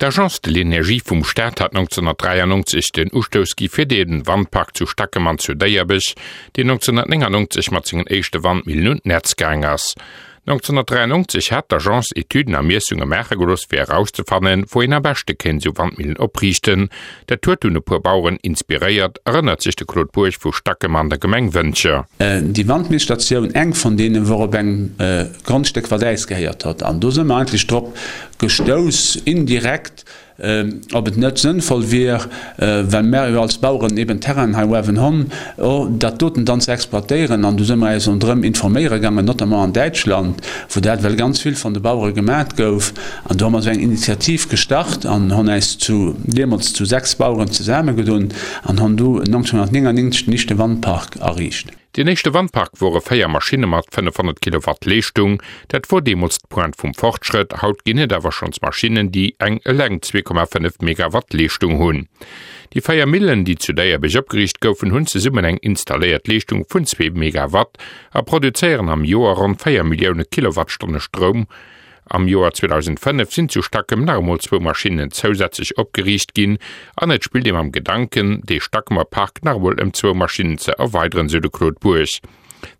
D'Agence de l'énergie vum Staat hat 1993 den Ustouss gi fir de Wandpark zu Stackem an zu Déierbech, deen 1999 mat sengen éischte Wandmillen un d'Netz gaang ass. 1993 hat d'Agence Etüden a Miessunge maache gelooss fir erauszefannen, wou een am beschte kéint esou Wandmillen opriichten. Dat huet dunn e puer Baueren inspiréiert, erënnert sech de Claude Bourg vu Stackem an der Gemeng Wëntger. Déi Wandmillstatioun, eng vun deenen, wor op engem Grondstéck wat äis gehéiert hott. An do si mer eigentlech drop gestouss, indirekt, ob et net sënnvoll wier, well mär jo als Baueren eben Terrainen hei uewen honn, dat doten dann ze exploitéieren. An du si mer äis ronderëm informéiere gaangen, notamment an Däitschland, wou dat well ganz vill von de Bauere gemat gouf. An do hu mer esou eng Initiativ gestart an honn äis zu, deemools zu 6 Baueren zesammegedunn an honn du 1999 den éischte Wandpark erriicht. Deen éischte Wandpark wore 4 Maschinne mat 500 Kilowatt Leeschtung. Dat wor deemools d'Pointe vum Fortschrëtt. Haut ginn et awer schonns Maschinnen, déi eng eleng 2,5 Megawatt Leeschtung hunn. Déi 4 Millen, déi zu Déierbech opgeriicht goufen, hunn zesummen eng installéiert Leeschtung vun zwee Megawatt a produzéieren am Joer ronn 4 Millioune Kilowattstonne Stroum. Am Joer 2005 sinn zu Stackem nach emol zwou Maschinnen zousätzlech opgeriicht ginn an et spillt ee mam Gedanken, dee Stackemer Park nach emol ëm zwou Maschinnen ze erweideren, sou de Claude Bourg.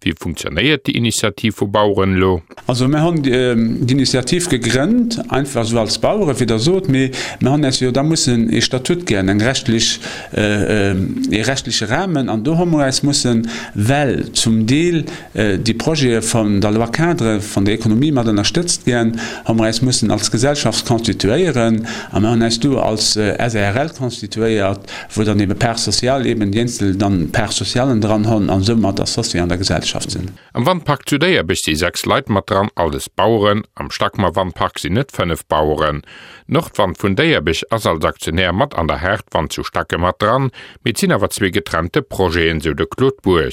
Wéi funktionéiert déi Initiativ vu Baueren elo? Also mir hunn d'Initiativ gegrënnt, einfach esou als Baueren, wéi Der sot, mee mir hunn eis jo da mussen ee Statut ginn, eng rechtlech, ee rechtliche Rahmen an do hu mer eis mussen, well zum Deel déi Projete vun der Loi-cadre vun der Ekonomie mat ënnerstëtzt ginn, hu mer äis mussen als Gesellschaft constituéieren a mer hunn äis du als SARL constituéiert, wou dann ebe Parts sociales, eben déi eenzel dann Parts socialen dran hunn an soumat associé an der Gesellschaft sinn. Am Wandpark zu Déierbech si 6 Leit mat dran, alles Baueren. Am Stackmer Wandpark sinn et 5 Baueren. D'Nordwand vun Déierbech ass als Aktionär mat an der Haardwand zu Stacke mat dran, mee et sinn awer zwee getrennte Projeten, sou de Claude Bourg.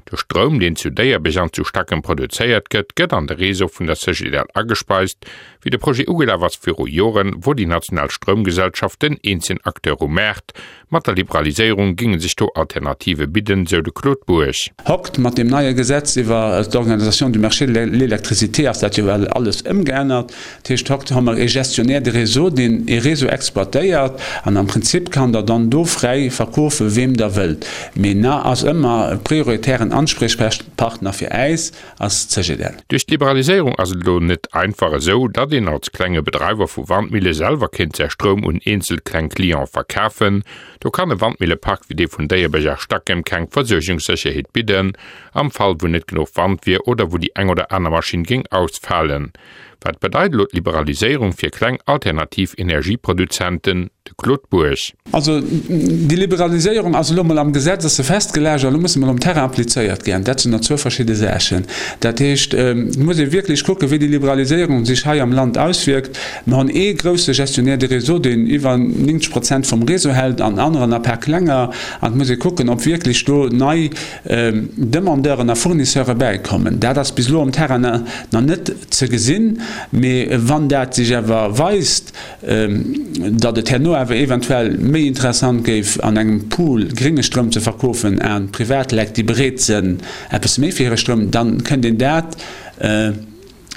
De Stroum, deen zu Déierbech an zu Stackem produzéiert gëtt, gëtt an de Réseau vun der Cegedel agespeist. Wéi de Projet ugelaf ass viru Joren, wor déi national Stroumgesellschaft den eenzegen Acteur um Maart. Mat der Liberaliséierung géinge sech do Alternative bidden, sou de Claude Bourg. Hokt, mat deem neie Gesetz iwwer d'Organisation du marché de l'électricité ass dat jo well alles ëmgeännert. Dat heescht, haut hu mer ee Gestionnaire de réseau, deen ee Réseau exploitéiert an am Prinzip kann Der dann do fräi verkofe weem Der wëllt. Mee na ass ëmmer prioritären Anspriechpartner fir äis ass d'CGDL. Duerch d'Liberaliséierung ass et elo net einfach esou, datt een als klenge Bedreiwer vu Wandmille selwer kéint säi Stroum un eenzel kleng Cliente verkafen. Do kann e Wandmillepark wéi dee vun Déierbech a Stackem keng Versuergungssécherheet bidden, am Fall wou net genuch Wand wier oder wou déi eng oder aner Maschinn géing ausfalen. Wat bedeit elo d'Liberaliséierung fir kleng alternativ Energieproduzenten? De Claude Bourg. Also déi Liberaliséierung ass elo emol am Gesetz ass se festgelegt a lo muss se emol um Terrain applizéiert ginn. Dat sinn der zwou verschidde Saachen. Dat heescht, et muss ee wierklech kucken, wéi déi Liberaliséierung sech hei am Land auswierkt. Mer hunn ee grousse Gestionnaire de réseau, deen iwwer 90 Prozent vum Réseau hält an aneren a paar klenger. An et muss ee kucken, ob wierklech do nei Demandeuren a Fournisseure bäikommen. Dat ass bis elo um Terrain nach net ze gesinn, mee wann dat sech awer weist, datt et herno awer eventuell méi interessant géif an engem Pool grénge Stroum ze verkofen a Privatleit, déi bereet sënn eppes méi fir hire Stroum, dann kënnt een dat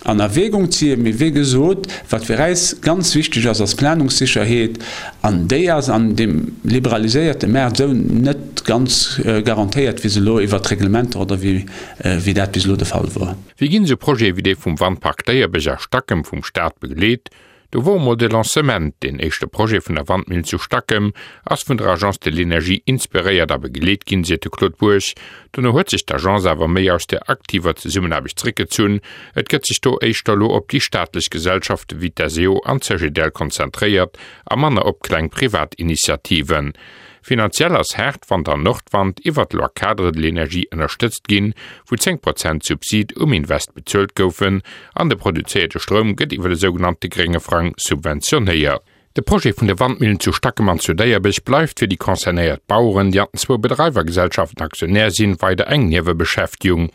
an Erwägung zieien. Mee wéi gesot, wat fir äis ganz wichteg ass, ass d'Planungssécherheet, an déi ass an deem liberaliséierte Maart esou net ganz garantéiert, wéi se elo iwwert d'Reglementer oder wéi dat bis elo de Fall wor. Wéi ginn esou Projete wéi dee vum Wandpark Déierbech a Stackem vum Staat begleet? Do wor emol de Lancement, deen éischte Projet vun der Wandmillen zu Stackem ass vun der Agence de l'Energie inspiréiert a begleet ginn, seet de Claude Bourg. Dono huet sech d'Agence awer méi aus der aktiver Zesummenaarbecht zréckgezunn. Et gëtt sech do éischter elo op déi staatlech Gesellschafte wéi d'SEO an d'Cegedel konzentréiert a manner op kleng privat Initiativen. Finanziell ass Haardwand an Nordwand iwwer d'Loi cadre de l'énergie ënnerstëtzt ginn, wou 10 Prozent Subsid um Invest bezuelt goufen an de produzéierte Stroum gëtt iwwer de sougenannte grénge Frang subventionéiert. De Projet vun de Wandmillen zu Stackem an zu Déierbech bleift fir déi concernéiert Baueren, déi an den zwou Bedreiwergesellschaften Aktionär sinn, weider eng Niewebeschäftigung.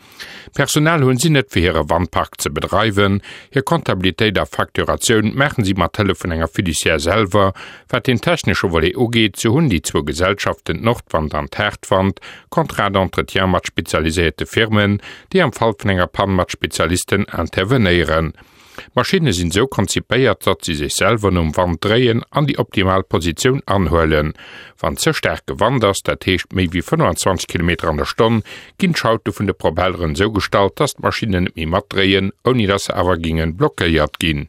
Personal hunn si net fir hire Wandpark ze bedreiwen. Hir Comptabilitéit a Facturatioun maachen si mat Hëllef vun enger Fiduciaire selwer. Wat den technesche Volet ugeet, sou hunn déi zwou Gesellschaften, d'Nordwand an d'Haardwand, Contrats d'entretien mat spezialiséierte Firmen, déi am Fall vun enger Pann mat Spezialisten intervenéieren. D'Maschinne sinn esou konzipéiert, datt si sech selwer nom Wand dréien an déi optimal Positioun anhuelen. Wann ze staarke Wand ass, dat heescht méi wéi 25 Kilometer an der Stonn, ginn d'Schaute vun de Propelleren esou gestallt, datt d'Maschinnen net méi matdréien, ouni datt se awer géinge blockéiert ginn.